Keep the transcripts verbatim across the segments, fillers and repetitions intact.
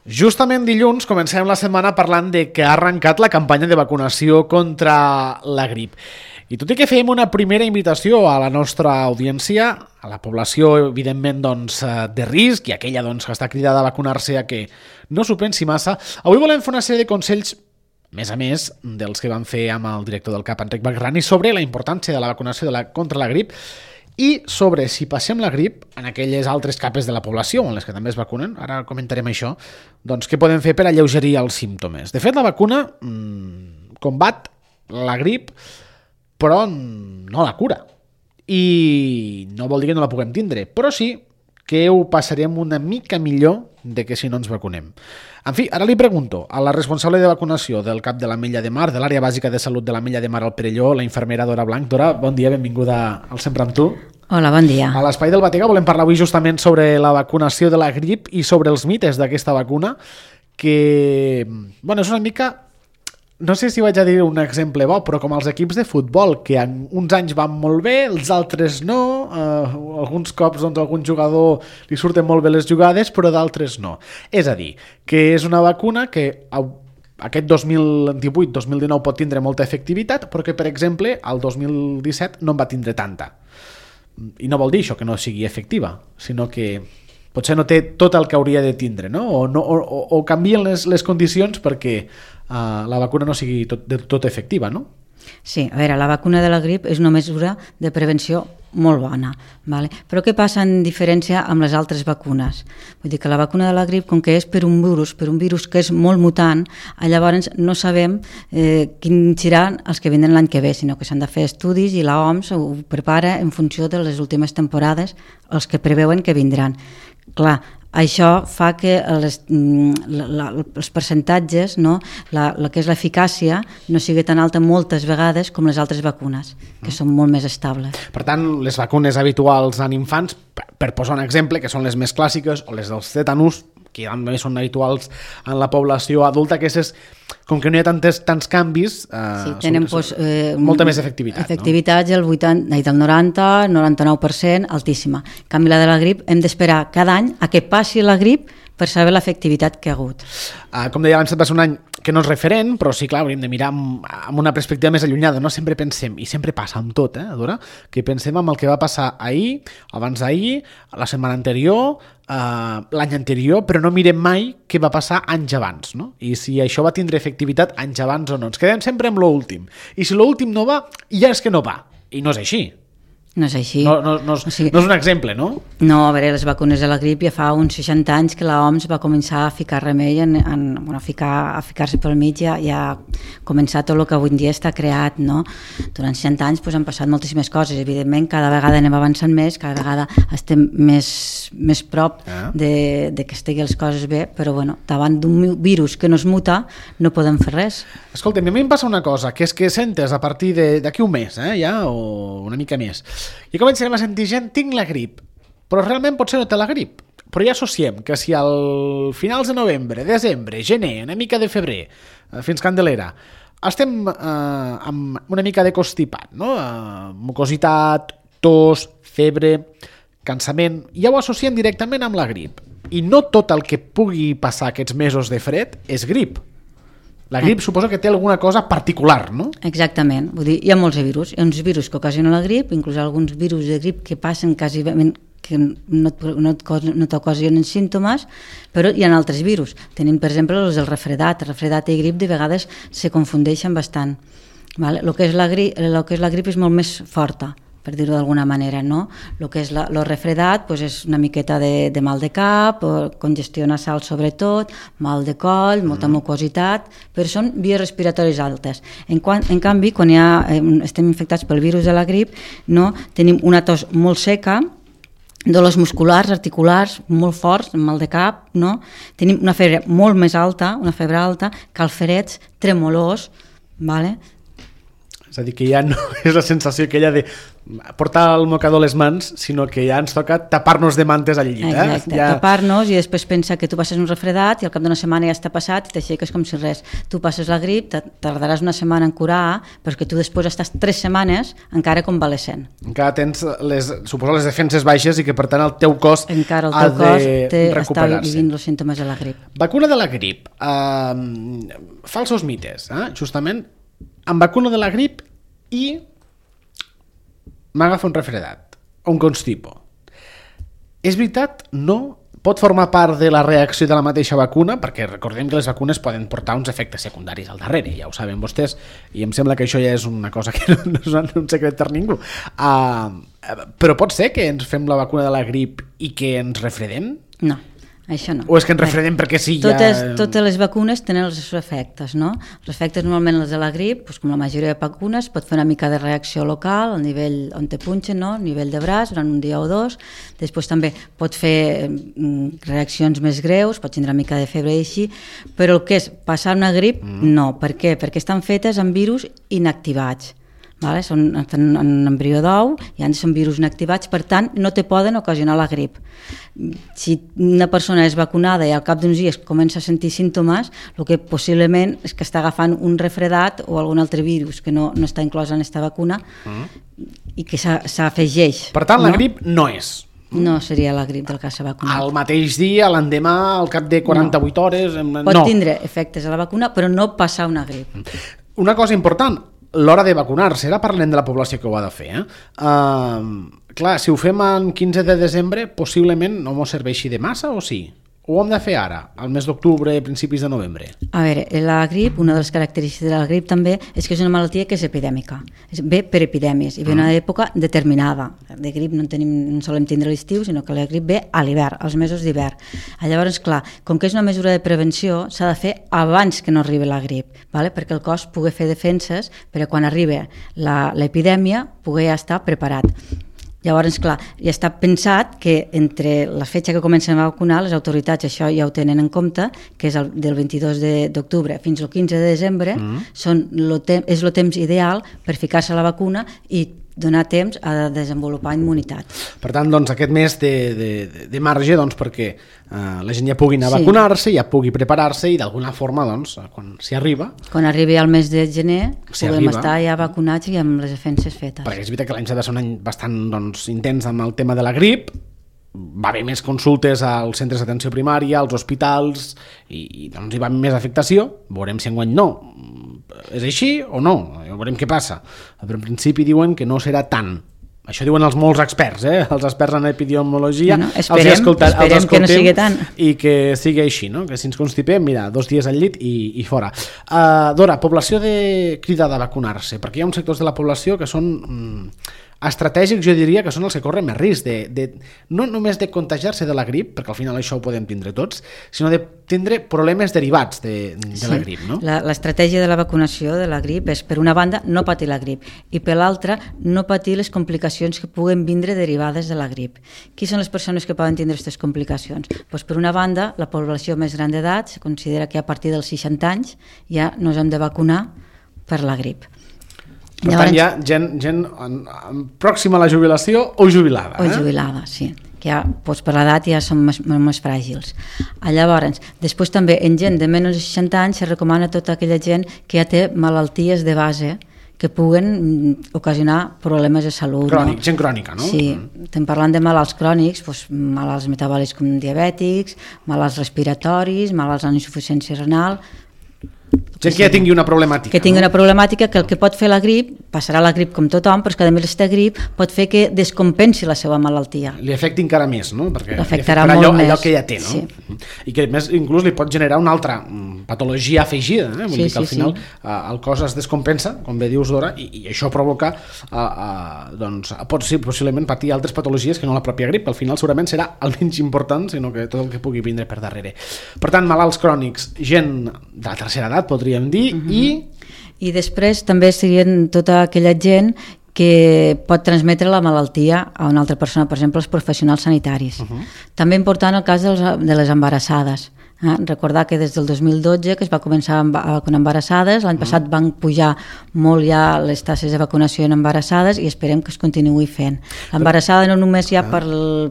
Justament dilluns comencem la setmana parlant de que ha arrencat la campanya de vacunació contra la grip. I tot i que fèiem una primera invitació a la nostra audiència, a la població, evidentment, doncs, de risc i aquella doncs, que està cridada a vacunar-se a que no s'ho pensi massa, avui volem fer una sèrie de consells, més a més dels que vam fer amb el director del C A P, Enric Bagrani, sobre la importància de la vacunació de la, contra la grip i sobre si passem la grip en aquelles altres capes de la població en les que també es vacunen, ara comentarem això, doncs què podem fer per alleugerir els símptomes. De fet, la vacuna mmm, combat la grip, però no la cura. I no vol dir que no la puguem tindre, però sí que ho passarem una mica millor de que si no ens vacunem. En fi, ara li pregunto a la responsable de vacunació del C A P de l'Ametlla de Mar, de l'àrea bàsica de salut de l'Ametlla de Mar al Perelló, la infermera Dora Blanc. Dora, bon dia, benvinguda al Sempre amb tu. Hola, bon dia. A l'Espai del Bategà volem parlar avui justament sobre la vacunació de la grip i sobre els mites d'aquesta vacuna, que, bueno, és una mica... No sé si vaig a dir un exemple bo, però com els equips de futbol, que en uns anys van molt bé, els altres no, eh, alguns cops doncs, a algun jugador li surten molt bé les jugades, però d'altres no. És a dir, que és una vacuna que aquest dos mil divuit dos mil dinou pot tindre molta efectivitat, però que, per exemple, el dos mil disset no en va tindre tanta. I no vol dir això que no sigui efectiva, sinó que potser no té tot el que hauria de tindre, no? O, no, o, o canvien les, les condicions perquè uh, la vacuna no sigui tot, de, tot efectiva, no? Sí, a veure, la vacuna de la grip és una mesura de prevenció molt bona, vale? Però què passa en diferència amb les altres vacunes? Vull dir que la vacuna de la grip, com que és per un virus, per un virus que és molt mutant, llavors no sabem eh, quins seran els que vindran l'any que ve, sinó que s'han de fer estudis i l'O M S ho prepara en funció de les últimes temporades, els que preveuen que vindran. Clar, això fa que les, la, la, els percentatges, no? la, la que és l'eficàcia, no sigui tan alta moltes vegades com les altres vacunes, que són molt més estables. Per tant, les vacunes habituals en infants, per posar un exemple, que són les més clàssiques, o les dels tetanus, que també són habituals en la població adulta, que és, com que no hi ha tantes, tants canvis, eh, sí, tenen són, pues, eh, molta més efectivitat. Efectivitat no? el, vuitanta, el noranta, noranta-nou per cent, altíssima. En canvi, la de la grip hem d'esperar cada any a que passi la grip per saber l'efectivitat que ha hagut. Uh, com deia abans, va ser un any que no és referent, però sí, clar, hauríem de mirar amb, amb una perspectiva més allunyada. No sempre pensem, i sempre passa amb tot, eh, Dora, que pensem en el que va passar ahir, abans d'ahir, la setmana anterior, uh, l'any anterior, però no mirem mai què va passar anys abans, no? I si això va tindre efectivitat anys abans o no. Ens quedem sempre amb l'últim. I si l'últim no va, ja és que no va. I no és així. No és així. No, no, no, és, o sigui, no és un exemple, no? No, a veure, les vacunes de la grip ja fa uns seixanta anys que l'O M S va començar a ficar remei, en, en, bueno, a, ficar, a ficar-se pel mig, ja, ja ha començat tot el que avui en dia està creat, no? Durant seixanta anys pues, han passat moltíssimes coses, evidentment, cada vegada anem avançant més, cada vegada estem més, més prop ah. de, de que estigui les coses bé, però bueno, davant d'un virus que no es muta no podem fer res. Escolta, a mi em passa una cosa, que és que sentes a partir d'aquí un mes, eh, ja, o una mica més, i començarem a sentir gent, tinc la grip, però realment potser no té la grip, però ja associem que si al finals de novembre, desembre, gener, una mica de febrer, fins Candelera, estem eh, amb una mica de constipat, no? Eh, mucositat, tos, febre, cansament, ja ho associem directament amb la grip, i no tot el que pugui passar aquests mesos de fred és grip. La grip suposo que té alguna cosa particular, no? Exactament. Vull dir, hi ha molts virus. Hi ha uns virus que ocasionen la grip, inclús alguns virus de grip que passen quasi que no, no, no t'ocasionen símptomes, però hi ha altres virus. Tenim, per exemple, els del refredat. El refredat i grip de vegades se confundeixen bastant. Vale? El que és la grip, el que és la grip és molt més forta, per dir-ho d'alguna manera, no? El que és la, el refredat pues és una miqueta de, de mal de cap, congestió nasal sobretot, mal de coll, molta mm. mucositat, però són vies respiratòries altes. En, quan, en canvi, quan ja estem infectats pel virus de la grip, no? Tenim una tos molt seca, dolors musculars, articulars, molt forts, mal de cap, no? Tenim una febre molt més alta, una febre alta, calferets, tremolors, vale? És a dir, que ja no és la sensació aquella de portar el mocador a les mans, sinó que ja ens toca tapar-nos de mantes al llit. Exacte, eh? ja... tapar-nos i després pensar que tu passes un refredat i al cap d'una setmana ja està passat i t'aixeques com si res. Tu passes la grip, tardaràs una setmana en curar, però que tu després estàs tres setmanes encara convalescent. Encara tens, les, suposo, les defenses baixes i que per tant el teu cos encara el ha teu cos de té, recuperar-se. Està vivint els símptomes de la grip. Vacuna de la grip. Uh, falsos mites, eh? Justament, amb vacuna de la grip i m'agafa un refredat o un constipo. És veritat? No? Pot formar part de la reacció de la mateixa vacuna? Perquè recordem que les vacunes poden portar uns efectes secundaris al darrere, ja ho saben vostès, i em sembla que això ja és una cosa que no, no és un secret per ningú. Uh, però pot ser que ens fem la vacuna de la grip i que ens refredem? No. Això no. O és que ens refredem perquè sí, totes, ja... Totes les vacunes tenen els seus efectes, no? Els efectes normalment els de la grip, doncs com la majoria de vacunes, pot fer una mica de reacció local, al nivell on te punxen, no? A nivell de braç, durant un dia o dos. Després també pot fer reaccions més greus, pot tindre una mica de febre i així, però el que és passar una grip, mm. no. Per què? Perquè estan fetes amb virus inactivats. Vale? Són, estan en embrió d'ou i han de ser virus inactivats, per tant no te poden ocasionar la grip. Si una persona és vacunada i al cap d'uns dies comença a sentir símptomes, el que possiblement és que està agafant un refredat o algun altre virus que no, no està inclòs en aquesta vacuna mm. i que s'afegeix. Per tant, no? La grip no és. No seria la grip del que s'ha vacunat. Al mateix dia, l'endemà, al cap de quaranta-vuit no. hores... Pot no. tindre efectes a la vacuna, però no passar una grip. Una cosa important, l'hora de vacunar-se, ara parlem de la població que ho ha de fer. Eh? Uh, clar, si ho fem en quinze de desembre, possiblement no ens serveixi de massa o sí? Ho hem de fer ara, al mes d'octubre, principis de novembre? A veure, la grip, una de les característiques de la grip també és que és una malaltia que és epidèmica. Ve per epidèmies i ve una època determinada. De grip no en, tenim, no en solem tindre a l'estiu, sinó que la grip ve a l'hivern, als mesos d'hivern. Llavors, clar, com que és una mesura de prevenció, s'ha de fer abans que no arribi la grip, vale? Perquè el cos pugui fer defenses per a quan arribi l'epidèmia pugui estar preparat. Llavors, clar, ja està pensat que entre la fetge que comencen a vacunar, les autoritats això ja ho tenen en compte, que és el, del vint-i-dos d'octubre fins al quinze de desembre, mm. són lo te- és el temps ideal per ficar-se la vacuna i donar temps a desenvolupar immunitat. Per tant, doncs, aquest mes de, de, de marge doncs, perquè uh, la gent ja pugui anar a sí. vacunar-se, ja pugui preparar-se i d'alguna forma, doncs, quan s'hi arriba... Quan arribi al mes de gener, si podem arriba. estar ja vacunats i amb les defenses fetes. Perquè és veritat que l'any s'ha de ser un any bastant doncs, intens amb el tema de la grip, va haver més consultes als centres d'atenció primària, als hospitals, i, i doncs hi va haver més afectació. Veurem si enguany no. És així o no? Ja veurem què passa. Però en principi diuen que no serà tant. Això diuen els molts experts, eh? Els experts en epidemiologia. Bueno, esperem, els escolta, esperem els que no sigui tant. I que sigui així, no? Que si ens constipem, mira, dos dies al llit i, i fora. Uh, Dora, població de cridada a vacunar-se, perquè hi ha uns sectors de la població que són... Mm, estratègics, jo diria que són els que corren més risc de, de, no només de contagiar-se de la grip, perquè al final això ho podem tindre tots, sinó de tindre problemes derivats de, de sí. la grip, no? L'estratègia de la vacunació de la grip és, per una banda, no patir la grip i per l'altra, no patir les complicacions que puguen vindre derivades de la grip. Qui són les persones que poden tindre aquestes complicacions? Pues, per una banda, la població més gran d'edat, se considera que a partir dels seixanta anys ja no ens hem de vacunar per la grip. Per Llavors, tant, hi ha gent, gent en, en pròxima a la jubilació o jubilada. O jubilada, eh? Sí. Que ja, doncs per l'edat ja són més, més fràgils. Llavors, després també en gent de menys de seixanta anys se recomana tota aquella gent que ja té malalties de base que puguen ocasionar problemes de salut. Crònic, no? Gent crònica, no? Sí, estem parlant de malalts crònics, doncs, malalts metabòlics com diabètics, malalts respiratoris, malalts amb insuficiència renal... Gent que ja tingui una problemàtica. Que tingui no? una problemàtica que el que pot fer la grip, passarà la grip com tothom, però és que a més aquesta grip pot fer que descompensi la seva malaltia. Li afecti encara més, no? Perquè l'afectarà li molt allò, més. Allò que ja té, no? Sí. I que a més inclús li pot generar una altra patologia afegida, eh? Vull sí, dir que al sí, final sí. uh, el cos es descompensa, com bé dius, Dora, i, i això provoca uh, uh, doncs, pot ser possiblement patir altres patologies que no la pròpia grip, que al final segurament serà el menys important, sinó que tot el que pugui vindre per darrere. Per tant, malalts crònics, gent de la tercera edat, podríem dir, uh-huh. i I després també serien tota aquella gent que pot transmetre la malaltia a una altra persona, per exemple, els professionals sanitaris. Uh-huh. També important el cas dels, de les embarassades. Eh? Recordar que des del dos mil dotze que es va començar a vacunar embarassades, l'any passat mm. van pujar molt ja les tasses de vacunació en embarassades i esperem que es continuï fent. L'embarassada no només ja per,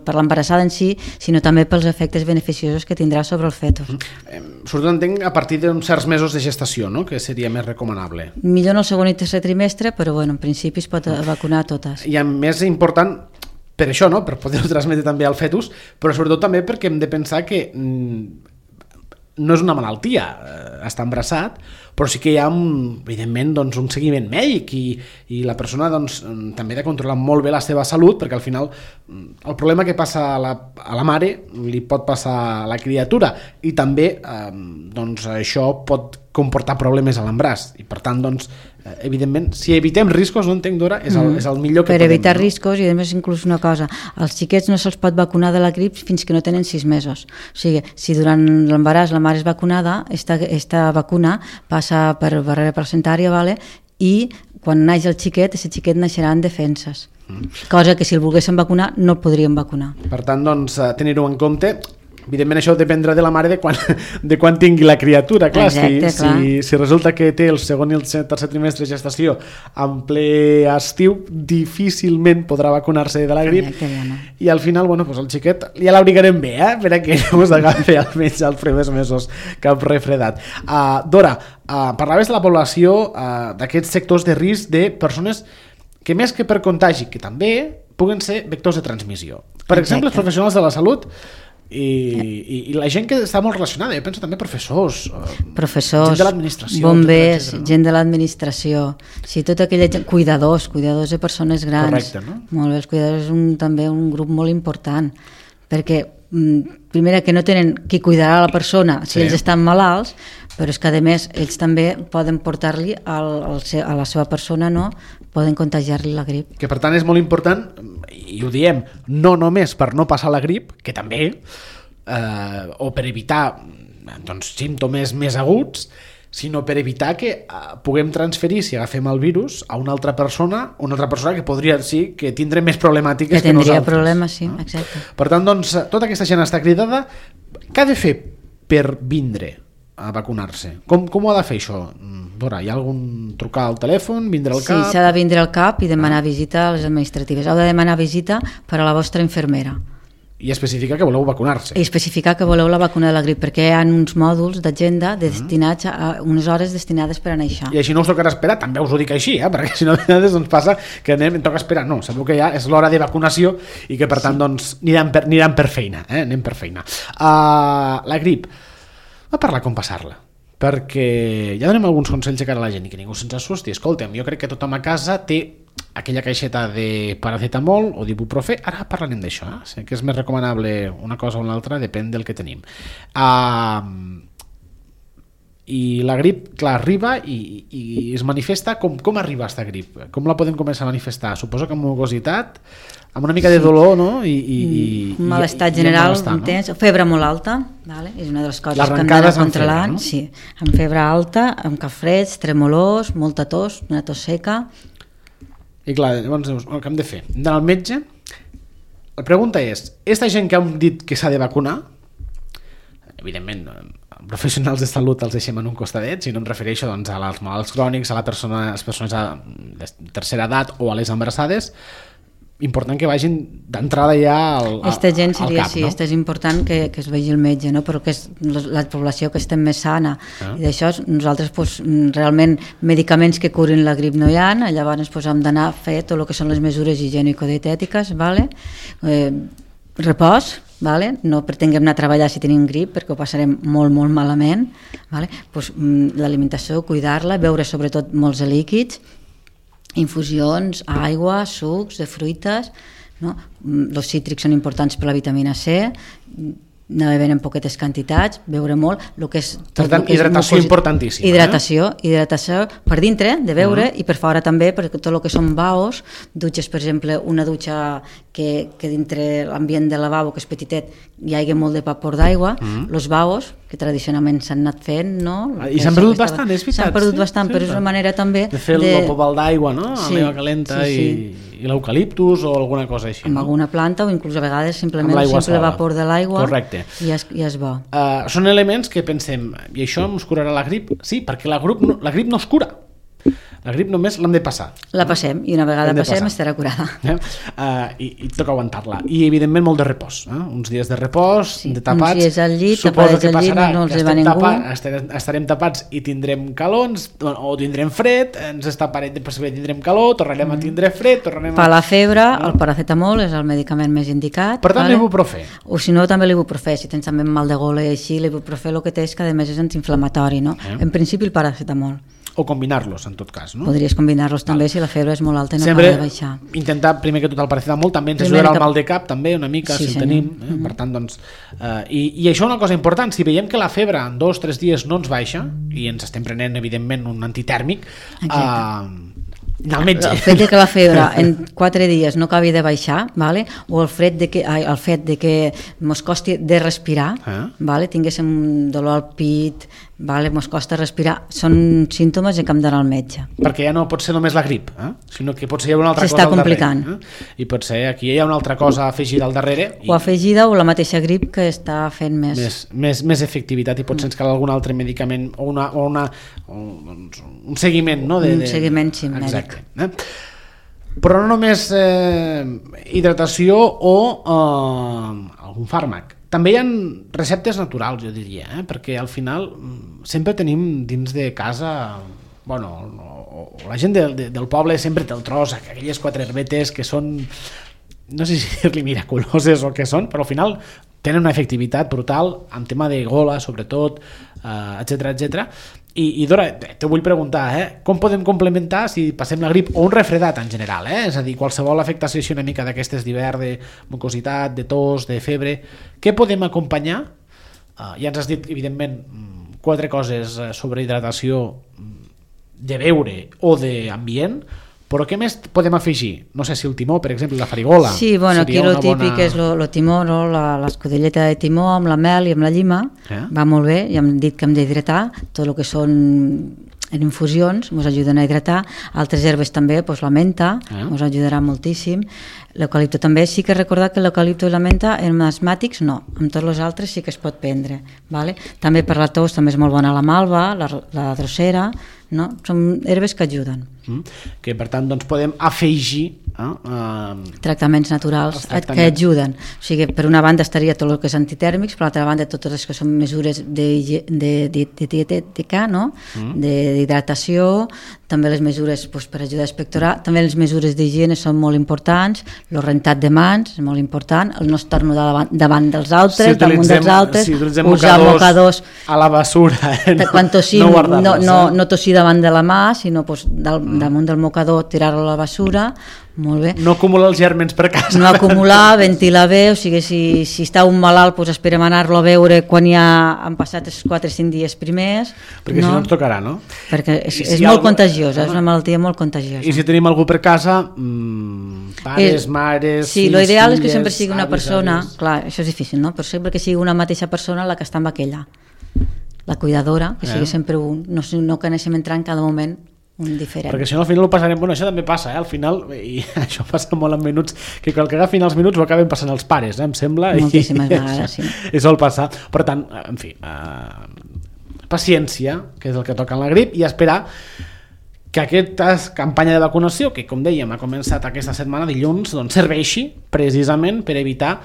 per l'embarassada en si, sinó també pels efectes beneficiosos que tindrà sobre el fetus. Mm. Sobretot entenc a partir d'uns certs mesos de gestació, no? Que seria més recomanable. Millor en el segon i tercer trimestre, però bueno, en principi es pot vacunar a totes. I a més important, per això, no? Per poder-ho transmetre també al fetus, però sobretot també perquè hem de pensar que mm, no és una malaltia eh, estar embarassat, però sí que hi ha un, evidentment doncs, un seguiment mèdic i, i la persona doncs, també ha de controlar molt bé la seva salut, perquè al final el problema que passa a la, a la mare li pot passar a la criatura i també eh, doncs, això pot comportar problemes a l'embràs i per tant doncs, evidentment si evitem riscos, no entenc Dora, és el, és el millor que per podem. Per evitar no? riscos, i a més inclús una cosa, als xiquets no se'ls pot vacunar de la grip fins que no tenen sis mesos, o sigui, si durant l'embaràs la mare és vacunada, esta, esta vacuna passa per barrera placentària, vale? I quan naix el xiquet, aquest xiquet naixerà en defenses, mm. cosa que si el volguéssim vacunar no el podríem vacunar. Per tant, doncs, tenir-ho en compte. Evidentment això dependrà de la mare de quan, de quan tingui la criatura, clar, Exacte, si, clar. Si, si resulta que té el segon i el tercer trimestre de gestació en ple estiu, difícilment podrà vacunar-se de la grip. Exacte, ja no. I al final, bueno, pues el xiquet ja l'abrigarem bé, eh? Per a que no us agafi almenys els primers mesos cap refredat. Uh, Dora, uh, parlaves de la població uh, d'aquests sectors de risc de persones que més que per contagi, que també puguen ser vectors de transmissió. Per Exacte. exemple, els professionals de la salut I, i, i la gent que està molt relacionada, jo penso també professors, professors, gent de l'administració, bombers, etcètera, no? gent de l'administració, sí, tota aquella gent, cuidadors, cuidadors de persones grans. Correcte, no? Molt bé, els cuidadors és un, també un grup molt important, perquè primera que no tenen qui cuidarà la persona si sí. ells estan malalts, però és que a més ells també poden portar-li al, al, a la seva persona, no? Poden contagiar-li la grip. Que per tant és molt important, i ho diem, no només per no passar la grip, que també, eh, o per evitar doncs, símptomes més aguts, sinó per evitar que eh, puguem transferir, si agafem el virus, a una altra persona, una altra persona que podria sí, que tindrà més problemàtiques que, que nosaltres. Que tindria problemes, sí, no? Exacte. Per tant, doncs, tota aquesta gent està cridada. Què ha de fer per vindre a vacunar-se? Com, com ho ha de fer això? Dora, hi ha algun trucar al telèfon, vindre al sí, cap? Sí, s'ha de vindre al cap i demanar visita a les administratives. Heu de demanar visita per a la vostra infermera. I especificar que voleu vacunar-se. I especificar que voleu la vacuna de la grip, perquè hi ha uns mòduls d'agenda destinats a unes hores destinades per anar a això. I així no us tocarà esperar, també us ho dic així, eh? Perquè si no de vegades ens passa que anem, em toca esperar. No, sabeu que ja és l'hora de vacunació i que per tant sí. doncs, aniran, per, aniran per feina, eh? anem per feina. Uh, la grip, va parlar com passar-la, perquè ja donem alguns consells de cara a la gent i que ningú se'ns assusti. Escolta'm, jo crec que tothom a casa té aquella caixeta de paracetamol o d'ibuprofè, ara parlarem d'això, eh? Sé que és més recomanable una cosa o una altra, depèn del que tenim. Uh, I la grip, clar, arriba i, i es manifesta. Com, com arriba aquesta grip? Com la podem començar a manifestar? Suposo que amb mucositat, amb una mica de dolor, no? I, i, i, un malestar i, general i malestar, intens, no? Febre molt alta, vale? És una de les coses que hem d'anar controlant, no? Sí, amb febre alta, amb calfreds, tremolors, molta tos, una tos seca. I clar, llavors dius, el que hem de fer? Hem d'anar al metge. La pregunta és, aquesta gent que hem dit que s'ha de vacunar, evidentment, professionals de salut els deixem en un costadet, si no em refereixo doncs, a els malalts crònics, a, la persona, a les persones de tercera edat o a les embarassades, important que vagin d'entrada ja al, al, esta gent seria, al cap, sí, no? Esta és important que, que es vegi el metge, no? Però que és la població que estem més sana, ah. I d'això nosaltres pues, realment medicaments que curin la grip no hi ha, llavors pues, hem d'anar a fer tot el que són les mesures higiènico-dietètiques, vale? eh, repòs, vale? No pretenguem anar a treballar si tenim grip perquè ho passarem molt molt malament, vale? Pues, l'alimentació, cuidar-la, beure sobretot molts líquids, infusions, aigua, sucs de fruites, no? Els cítrics són importants per la vitamina C, anar bevent en poquetes quantitats, beure molt, el que és... Per tant, hidratació és importantíssima. Hidratació, eh? hidratació per dintre, de beure, uh-huh. i per fora també, perquè tot el que són baos, dutxes, per exemple, una dutxa que, que dintre l'ambient del lavabo, que és petitet, hi hagi molt de vapor d'aigua, els uh-huh. baos, que tradicionalment s'han anat fent, no? I s'han perdut bastant, és veritat. S'han perdut sí, bastant, sí, però és una manera també... De fer de... el pobal d'aigua, no? Sí, a l'aigua calenta sí, sí. i... i l'eucaliptus o alguna cosa així. Amb no? alguna planta o inclús a vegades simplement el simple vapor de l'aigua. Correcte. I ja és, ja és bo. Uh, són elements que pensem, i això ens curarà la grip? Sí, perquè la, grup no, la grip no es cura. La grip només l'hem de passar. La passem, i una vegada passem passar. estarà curada. Eh? Uh, i, I toca aguantar-la. I evidentment molt de repòs. Eh? Uns dies de repòs, sí, de tapats. Uns dies al llit, suposo que al llit, no els va ningú. Tapa, estarem, estarem tapats i tindrem calons, o tindrem fred, ens estaparem de possible tindrem calor, tornarem mm. a tindre fred, tornarem a... Per la febre, no? El paracetamol és el medicament més indicat. Per tant, vale? l'ibuprofè. O si no, també l'ibuprofè. Si tens també mal de gola i així, l'ibuprofè el que té és que a més és antiinflamatori, no? Eh? En principi el paracetamol. O combinar-los, en tot cas, no? Podries combinar-los també si la febre és molt alta i no Sempre acaba de baixar. Intentar, primer que tot, el paracetamol també ens ajudarà al mal de cap, també, una mica, sí, si senyor. el tenim. Eh? Mm-hmm. Per tant, doncs... Eh, i, I això una cosa important, si veiem que la febre en dos o tres dies no ens baixa, i ens estem prenent, evidentment, un antitèrmic, eh, anar al metge. El fet de que la febre en quatre dies no acabi de baixar, vale? O el fet de que, ai, el fet de que mos costi de respirar, eh? Vale? Tinguéssim dolor al pit, vale? Mos costa respirar, són símptomes que hem d'anar al metge. Perquè ja no pot ser només la grip, eh? Sinó que pot ser una altra S'està cosa al complicant. darrere. Eh? I pot ser aquí hi ha una altra cosa afegida al darrere. I... O afegida o la mateixa grip que està fent més... Més, més, més efectivitat i potser mm. ens cal algun altre medicament o, una, o, una, o un seguiment, no? De, un de... seguiment, sí, mèdic. Exacte. Eh? Però no només eh, hidratació o eh, algun fàrmac. També hi ha receptes naturals, jo diria, eh? Perquè al final sempre tenim dins de casa, bueno, o, o la gent de, de, del poble sempre té el tros, aquelles quatre herbetes que són, no sé si dir-li miraculoses o què són, però al final tenen una efectivitat brutal en tema de gola, sobretot, eh, etcètera, etcètera. I, i Dora, te vull preguntar, eh? Com podem complementar si passem la grip o un refredat en general, eh? És a dir, qualsevol afectació així una mica d'aquestes d'hivern, de mucositat, de tos, de febre, què podem acompanyar? Uh, ja ens has dit, evidentment, quatre coses sobre hidratació de beure o d'ambient, però què més podem afegir? No sé si el timó, per exemple, la farigola. Sí, bueno, aquí el típic bona... és el timó, no? L'escudelleta de timó amb la mel i amb la llima, eh? Va molt bé, ja hem dit que hem d'hidratar, tot el que són en infusions ens ajuden a hidratar, altres herbes també, doncs la menta ens eh? ajudarà moltíssim, l'eucalipto també, sí que recordar que l'eucalipto i la menta en asmàtics no, amb tots els altres sí que es pot prendre, vale? També per la tos també és molt bona la malva, la, la drosera, no? Són herbes que ajuden. Mm. Que per tant doncs, podem afegir eh, uh, tractaments naturals tractaments. que ajuden. O sigui, per una banda estaria tot el que és antitèrmics, per l'altra banda totes les que són mesures de, de, de, de dietètica, no? Mm. d'hidratació, també les mesures doncs, per ajudar a expectorar, també les mesures d'higiene són molt importants, el rentat de mans és molt important, el no estornudar davant, davant dels altres, si damunt dels altres, si usar mocadors a la basura, eh, no, quan tossim, no, no, no, no tossir davant de la mà, sinó doncs, del, mm. damunt del mocador tirar-lo a la basura, molt bé. No acumular els gèrmens per casa. No acumular, ventilar bé, o sigui, si, si està un malalt, doncs esperem anar-lo a veure quan ja han passat els quatre o cinc dies primers. Perquè no? si no ens tocarà, no? Perquè és, si és molt algú... contagiosa, és una malaltia molt contagiosa. I si tenim algú per casa, mmm, pares, és, mares... Sí, fills, l'ideal és que sempre sigui una avis, persona, avis. Clar, això és difícil, no? Però sempre que sigui una mateixa persona la que està amb aquella. La cuidadora, que sigui eh? sempre un, no, no que anéssim entrant cada moment un diferent. Perquè si no al final ho passarem, bueno, això també passa, eh? Al final, i això passa molt en minuts, que quan agafin els minuts ho acaben passant els pares, eh? Em sembla. Moltíssimes i, vegades, sí. I sol passar. Per tant, en fi, eh, paciència, que és el que toca en la grip, i esperar que aquesta campanya de vacunació, que com dèiem ha començat aquesta setmana dilluns, doncs serveixi precisament per evitar...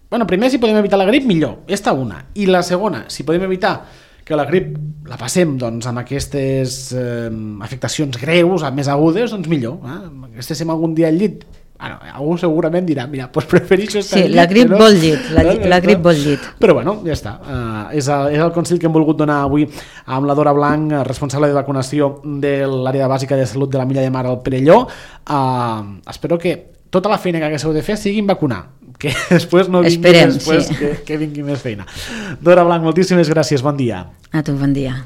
Bueno, primer, si podem evitar la grip, millor. Esta una. I la segona, si podem evitar que la grip la passem doncs, amb aquestes eh, afectacions greus, més agudes, doncs millor. Eh? Que estéssim algun dia al llit, bueno, algú segurament dirà, mira, doncs prefereixo estar sí, al llit. La grip no? vol llit, la, no? la grip vol llit. Però bueno, ja està. Uh, és, el, és el consell que hem volgut donar avui amb la Dora Blanc, responsable de vacunació de l'àrea bàsica de salut de la Milla de Mar al Perelló. Uh, espero que tota la feina que haguéssiu de fer siguin vacunar, que després no vingui Esperem, després sí. que, que vingui més feina. Dora Blanc, moltíssimes gràcies, bon dia. A tu, bon dia.